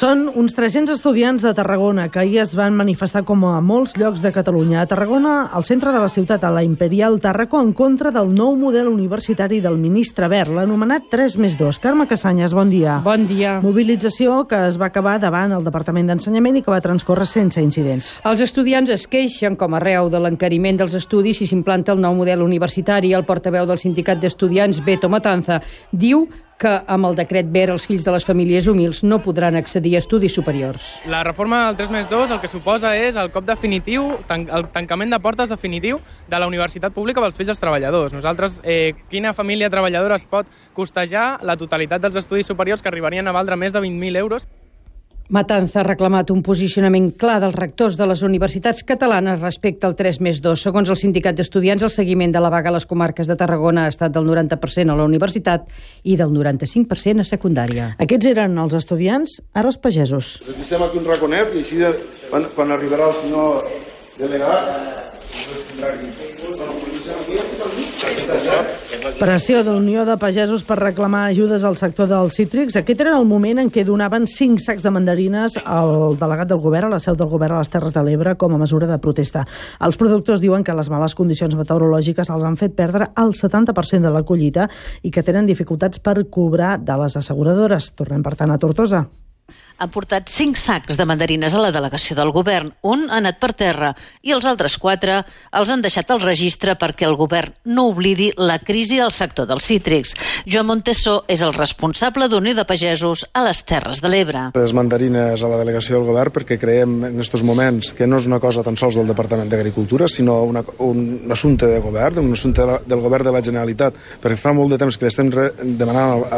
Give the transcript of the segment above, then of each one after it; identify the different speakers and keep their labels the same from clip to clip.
Speaker 1: Són uns 300 estudiants de Tarragona que ahir es van manifestar com a molts llocs de Catalunya. A Tarragona, al centre de la ciutat, a la Imperial Tàrraco, en contra del nou model universitari del ministre Wert, l'anomenat 3+2. Carme Cassanyes, bon dia.
Speaker 2: Bon dia.
Speaker 1: Mobilització que es va acabar davant el Departament d'Ensenyament i que va transcórrer sense incidents.
Speaker 2: Els estudiants es queixen, com arreu de l'encariment dels estudis, si s'implanta el nou model universitari. El portaveu del sindicat d'estudiants, Beto Matanza, diu que amb el decret Wert els fills de les famílies humils no podran accedir a estudis superiors.
Speaker 3: La reforma del 3+2 el que suposa és el cop definitiu, el tancament de portes definitiu de la universitat pública pels fills dels treballadors. Nosaltres, quina família treballadora es pot costejar la totalitat dels estudis superiors que arribarien a valdre més de 20.000 euros?
Speaker 2: Matanza ha reclamat un posicionament clar dels rectors de les universitats catalanes respecte al 3+2. Segons el sindicat d'estudiants, el seguiment de la vaga a les comarques de Tarragona ha estat del 90% a la universitat i del 95% a secundària.
Speaker 1: Aquests eren els estudiants, ara els pagesos.
Speaker 4: Estem aquí un raconet i així quan arribarà el senyor delegat...
Speaker 1: Pressió d'Unió de Pagesos per reclamar ajudes al sector dels cítrics. Aquest era el moment en què donaven 5 sacs de mandarines al delegat del govern, a la seu del govern a les Terres de l'Ebre, com a mesura de protesta. Els productors diuen que les males condicions meteorològiques els han fet perdre el 70% de la collita i que tenen dificultats per cobrar de les asseguradores. Tornem, per tant, a Tortosa.
Speaker 5: Han portat 5 sacs de mandarines a la delegació del govern. Un ha anat per terra i els altres 4 els han deixat al registre perquè el govern no oblidi la crisi del sector dels cítrics. Joan Montesó és el responsable d'Unió de Pagesos a les Terres de l'Ebre.
Speaker 4: Les mandarines a la delegació del govern perquè creiem en aquests moments que no és una cosa tan sols del Departament d'Agricultura, sinó un assumpte de govern, un assumpte del govern de la Generalitat, perquè fa molt de temps que l'estem demanant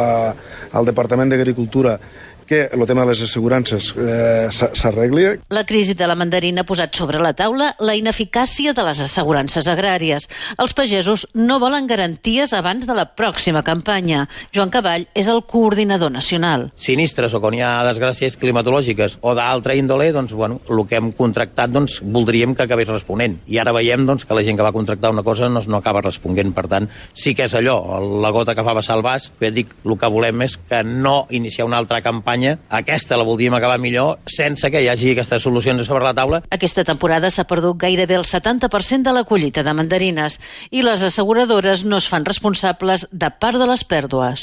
Speaker 4: al Departament d'Agricultura que el tema de les assegurances s'arregli.
Speaker 5: La crisi de la mandarina ha posat sobre la taula la ineficàcia de les assegurances agràries. Els pagesos no volen garanties abans de la pròxima campanya. Joan Cavall és el coordinador nacional.
Speaker 6: Sinistres o quan hi ha desgràcies climatològiques o d'altra índole, doncs, el que hem contractat voldríem que acabés responent. I ara veiem que la gent que va contractar una cosa no acaba responent. Per tant, sí que és allò, la gota que fa vessar el vas. El que volem és que no iniciar una altra campanya. Aquesta la voldríem acabar millor sense que hi hagi aquestes solucions sobre la taula.
Speaker 5: Aquesta temporada s'ha perdut gairebé el 70% de la collita de mandarines i les asseguradores no es fan responsables de part de les pèrdues.